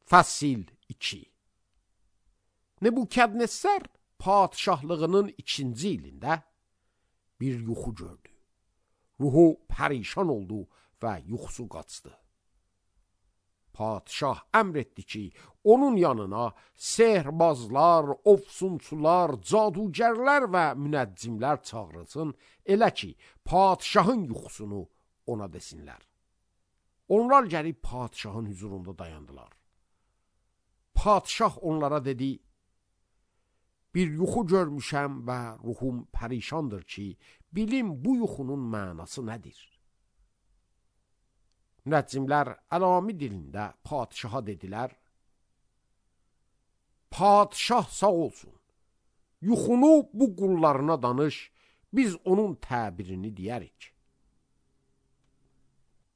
Fəsil 2. Nebukadnessar padişahlığının 2-ci ilində bir yuxu gördü. Ruhu pərişan oldu və yuxusu qaçdı. Padişah əmr etdi ki, onun yanına sehrbazlar, ofsunçular, cadugərlər və münəccimlər çağırılsın, elə ki, padişahın yuxusunu ona desinlər. Onlar gəlib padişahın huzurunda dayandılar. Padişah onlara dedi, bir yuxu görmüşəm və ruhum pərişandır ki, bilim bu yuxunun mənası nədir? Münəccimlər əlami dilində padişaha dedilər, padişah sağ olsun, yuxunu bu qullarına danış, biz onun təbirini deyərik.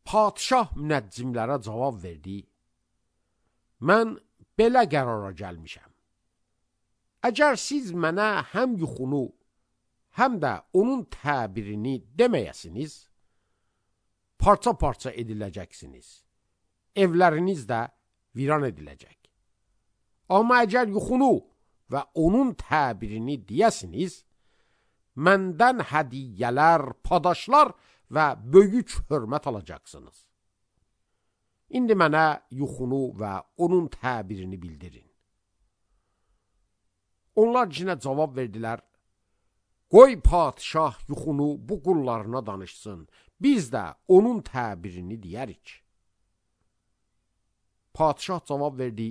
Padişah münəccimlərə cavab verdi, mən belə qərara gəlmişəm. Əgər siz mənə həm yuxunu, həm də onun təbirini deməyəsiniz, parça-parça ediləcəksiniz. Evləriniz də viran ediləcək. Amma əgər yuxunu və onun təbirini deyəsiniz, məndən hədiyyələr, padaşlar və böyük hörmət alacaqsınız. İndi mənə yuxunu və onun təbirini bildirin. Onlar yenə cavab verdilər, qoy padişah yuxunu bu qullarına danışsın, biz də onun təbirini deyərik. Padişah cavab verdi,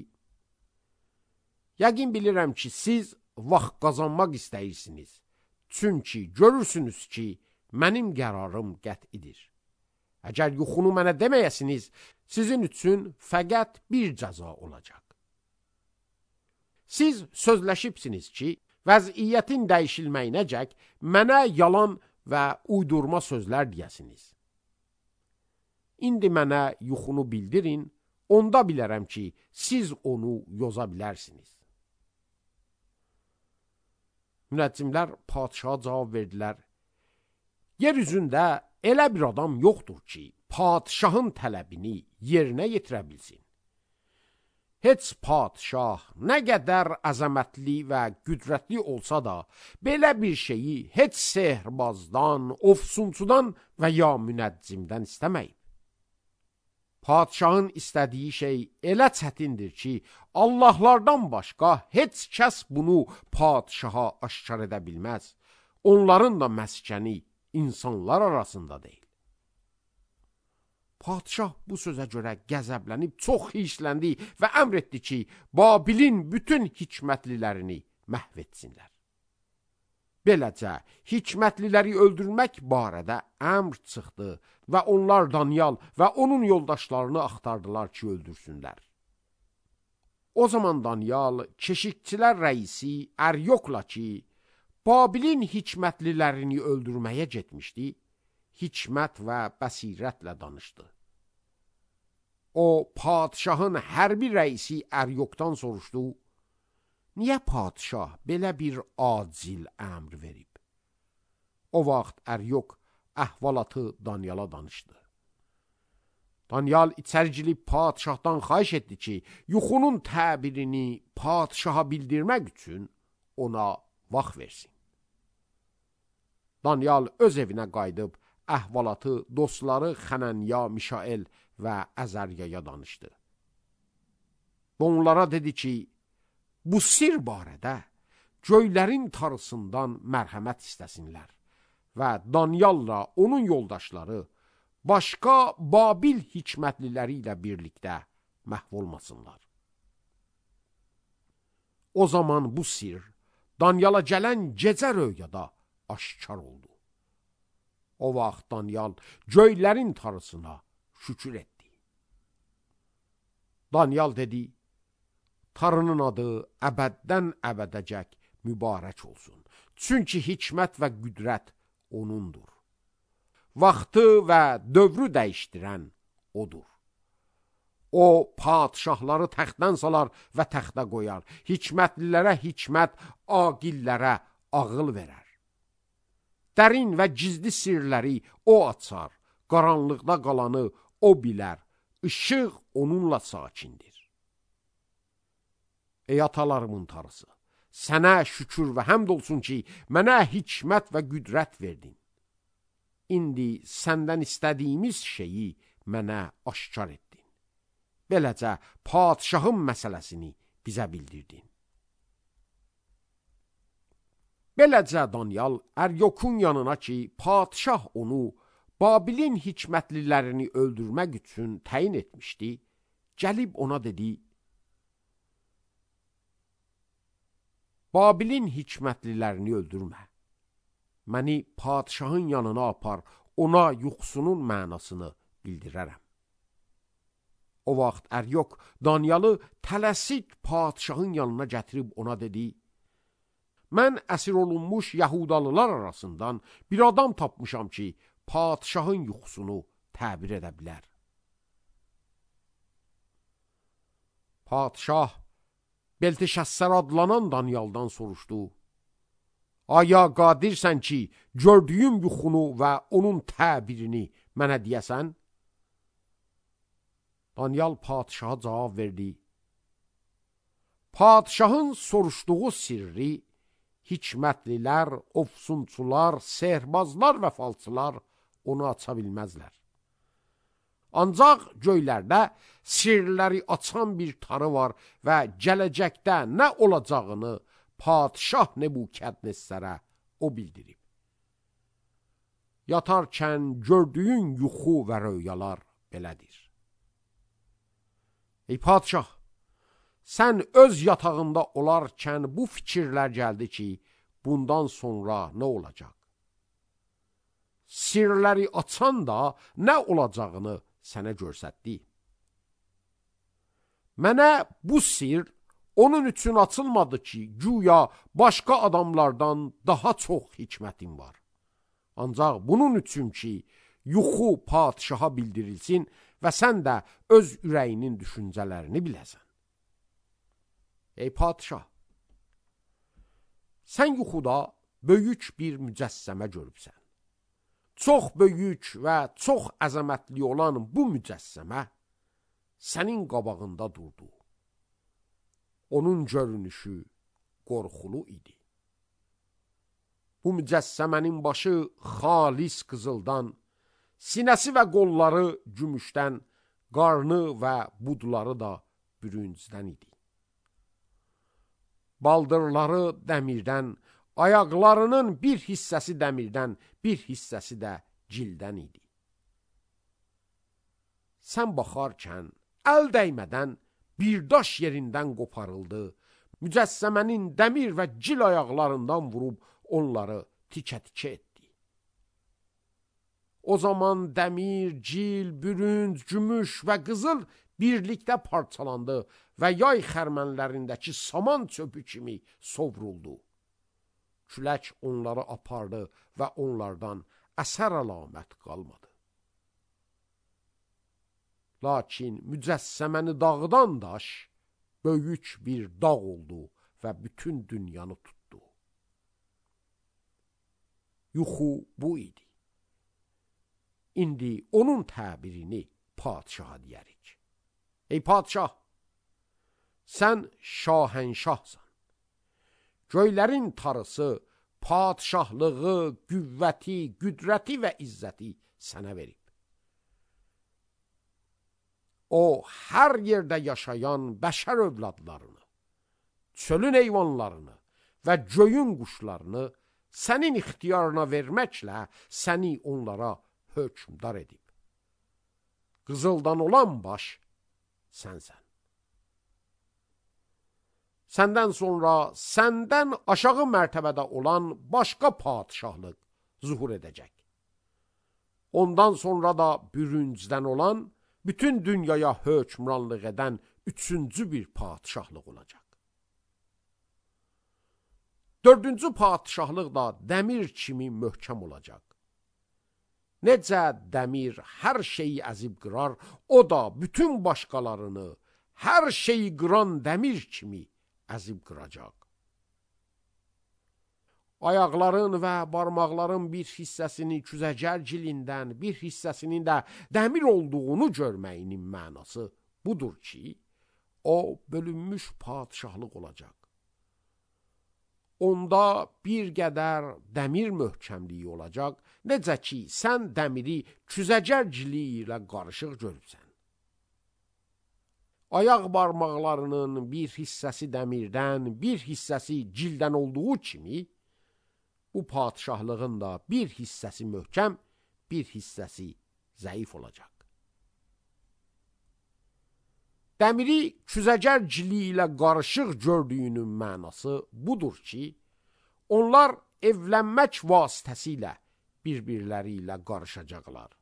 yəqin bilirəm ki, siz vaxt qazanmaq istəyirsiniz, çünki görürsünüz ki, mənim qərarım qət'idir. Əgər yuxunu mənə deməyəsiniz, sizin üçün fəqət bir cəza olacaq. Siz sözləşibsiniz ki, vəziyyətin dəyişilməyinəcək mənə yalan və uydurma sözlər deyəsiniz. İndi mənə yuxunu bildirin, onda bilərəm ki, siz onu yoza bilərsiniz. Münəccimlər padişaha cavab verdilər, yer üzündə elə bir adam yoxdur ki, padişahın tələbini yerinə yetirə bilsin. Heç padişah nə qədər əzəmətli və qüdrətli olsa da, belə bir şeyi heç sehrbazdan, ofsunçudan və ya münəccimdən istəməyib. Padişahın istədiyi şey elə çətindir ki, Allahlardan başqa heç kəs bunu padişaha aşkar edə bilməz. Onların da məskəni insanlar arasında deyil. Padişah bu sözə görə qəzəblənib çox hissləndi və əmr etdi ki, Babilin bütün hikmətlilərini məhv etsinlər. Beləcə, hikmətliləri öldürmək barədə əmr çıxdı və onlar Danyal və onun yoldaşlarını axtardılar ki, öldürsünlər. O zaman Danyal, keşikçilər rəisi Əryokla ki, Babilin hikmətlilərini öldürməyə getmişdi, hikmət və bəsirətlə danışdı. O, padişahın hərbi rəisi Əryokdan soruşdu, niyə padişah belə bir acil əmr verib? O vaxt Əryok əhvalatı Danyala danışdı. Danyal içəri girib padişahdan xahiş etdi ki, yuxunun təbirini padişaha bildirmək üçün ona vaxt versin. Danyal öz evinə qayıdıb, əhvalatı dostları Xənənya, Mişael və Əzəryaya danışdı. Onlara dedi ki, bu sir barədə göylərin tarısından mərhəmət istəsinlər və Danyalla onun yoldaşları başqa Babil hikmətliləri ilə birlikdə məhv olmasınlar. O zaman bu sir Danyala gələn gecə röyada aşkar oldu. O vaxt Danyal göylərin tarısına şükür etdi. Danyal dedi, tarının adı əbəddən əbədəcək mübarək olsun. Çünki hikmət və qüdrət onundur. Vaxtı və dövrü dəyişdirən odur. O, padişahları təxtdən salar və təxtə qoyar. Hikmətlilərə hikmət, aqillərə ağıl verər. Dərin və gizli sirləri o açar, qaranlıqda qalanı o bilər, işıq onunla sakindir. Ey atalarımın tarısı, sənə şükür və həmd olsun ki, mənə hikmət və qüdrət verdin. İndi səndən istədiyimiz şeyi mənə aşkar etdin. Beləcə, padişahın məsələsini bizə bildirdin. Beləcə Danyal Əryokun yanına ki, padişah onu Babilin hikmətlilərini öldürmək üçün təyin etmişdi, gəlib ona dedi, Babilin hikmətlilərini öldürmə. Məni padişahın yanına apar, ona yuxusunun mənasını bildirərəm. O vaxt Əryok Danyalı tələsik padişahın yanına gətirib ona dedi, mən əsir olunmuş Yahudalılar arasından bir adam tapmışam ki, padişahın yuxusunu təbir edə bilər. Padişah Belteşəssər adlanan Danyaldan soruşdu, aya qadirsən ki, gördüyüm yuxunu və onun təbirini mənə deyəsən? Danyal padişaha cavab verdi, padişahın soruşduğu sirri hikmətlilər, ofsunçular, sehrbazlar və falçılar onu aça bilməzlər. Ancaq göylərdə sirləri açan bir tarı var və gələcəkdə nə olacağını padişah Nebukadnezərə o bildirib. Yatarkən gördüyün yuxu və röyalar belədir. Ey padişah, sən öz yatağında olarkən bu fikirlər gəldi ki, bundan sonra nə olacaq? Sirləri açan da nə olacağını sənə görsətdi. Mənə bu sir onun üçün açılmadı ki, güya başqa adamlardan daha çox hikmətim var. Ancaq bunun üçün ki, yuxu padişaha bildirilsin və sən də öz ürəyinin düşüncələrini biləsən. Ey padişah, sən yuxuda böyük bir mücəssəmə görübsən. Çox böyük və çox əzəmətli olan bu mücəssəmə sənin qabağında durdu. Onun görünüşü qorxulu idi. Bu mücəssəmənin başı xalis qızıldan, sinəsi və qolları gümüşdən, qarnı və budları da bürüncdən idi. Baldırları dəmirdən, ayaqlarının bir hissəsi dəmirdən, bir hissəsi də cildən idi. Sən baxarkən, əl dəymədən bir daş yerindən qoparıldı, mücəssəmənin dəmir və cil ayaqlarından vurub onları tikə-tikə etdi. O zaman dəmir, cil, bürünc, gümüş və qızıl birlikdə parçalandı və yay xərmənlərindəki saman çöpü kimi sovruldu. Külək onları apardı və onlardan əsər əlamət qalmadı. Lakin mücəssəməni dağıdan daş böyük bir dağ oldu və bütün dünyanı tutdu. Yuxu bu idi. İndi onun təbirini padişaha deyərik. Ey padişah, sən şahənşahsan. Göylərin tarısı, padişahlığı, qüvvəti, qüdrəti və izzəti sənə verib. O, hər yerdə yaşayan bəşər övladlarını, çölün heyvanlarını və göyün quşlarını sənin ixtiyarına verməklə səni onlara hökmdar edib. Qızıldan olan baş sənsən. Səndən sonra səndən aşağı mərtəbədə olan başqa padişahlıq zuhur edəcək. Ondan sonra da bürüncdən olan, bütün dünyaya hökmranlıq edən üçüncü bir padişahlıq olacaq. Dördüncü padişahlıq da dəmir kimi möhkəm olacaq. Necə dəmir hər şeyi əzib qırar, o da bütün başqalarını hər şeyi qıran dəmir kimi əzib qıracaq. Ayaqların və barmaqların bir hissəsini küzəcər cilindən, bir hissəsinin də dəmir olduğunu görməyinin mənası budur ki, o bölünmüş padişahlıq olacaq. Onda bir qədər dəmir möhkəmliyi olacaq, necə ki, sən dəmiri küzəcərciliyi ilə qarışıq görürsən. Ayaq barmaqlarının bir hissəsi dəmirdən, bir hissəsi cildən olduğu kimi, bu padişahlığın da bir hissəsi möhkəm, bir hissəsi zəif olacaq. Dəmiri küzəcərciliyi ilə qarışıq gördüyünün mənası budur ki, onlar evlənmək vasitəsilə bir-birləri ilə qarışacaqlar.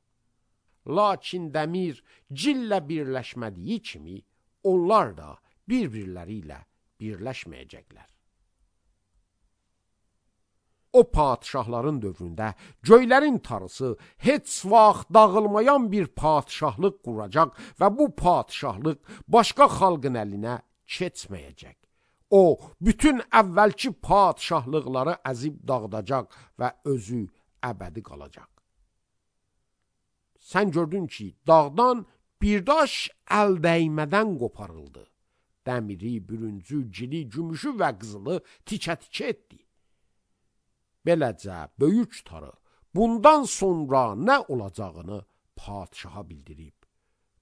Lakin dəmir cillə birləşmədiyi kimi, onlar da bir-birləri ilə birləşməyəcəklər. O padişahların dövründə göylərin tarısı heç vaxt dağılmayan bir padişahlıq quracaq və bu padişahlıq başqa xalqın əlinə keçməyəcək. O, bütün əvvəlki padişahlıqları əzib dağıdacaq və özü əbədi qalacaq. Sən gördün ki, dağdan bir daş əl dəymədən qoparıldı. Dəmiri, bürüncü, gili, gümüşü və qızılı tikə-tikə etdi. Beləcə, böyük tarı bundan sonra nə olacağını padişaha bildirib.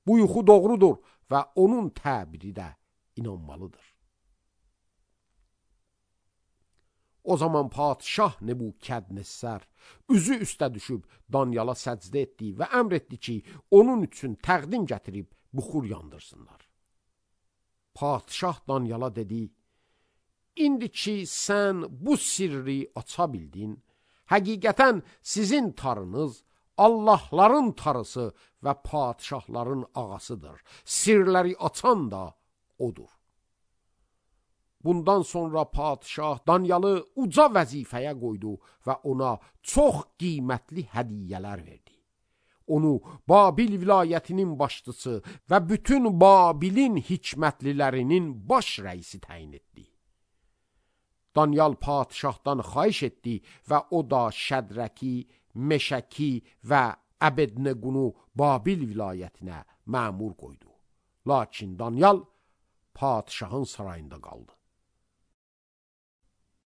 Bu yuxu doğrudur və onun təbiri də inanmalıdır. O zaman padişah Nebukadnezar üzü üstə düşüb Danyala səcdə etdi və əmr etdi ki, onun üçün təqdim gətirib buxur yandırsınlar. Padişah Danyala dedi, İndi ki, sən bu sirri aça bildin, həqiqətən sizin tarınız Allahların tarısı və padişahların ağasıdır. Sirləri açan da odur. Bundan sonra padişah Danyalı uca vəzifəyə qoydu və ona çox qiymətli hədiyyələr verdi. Onu Babil vilayətinin başçısı və bütün Babilin hikmətlilərinin baş rəisi təyin etdi. Danyal padişahdan xahiş etdi və o da Şədraki, Meşəki və Əbednequnu Babil vilayətinə məmur qoydu. Lakin Danyal padişahın sarayında qaldı.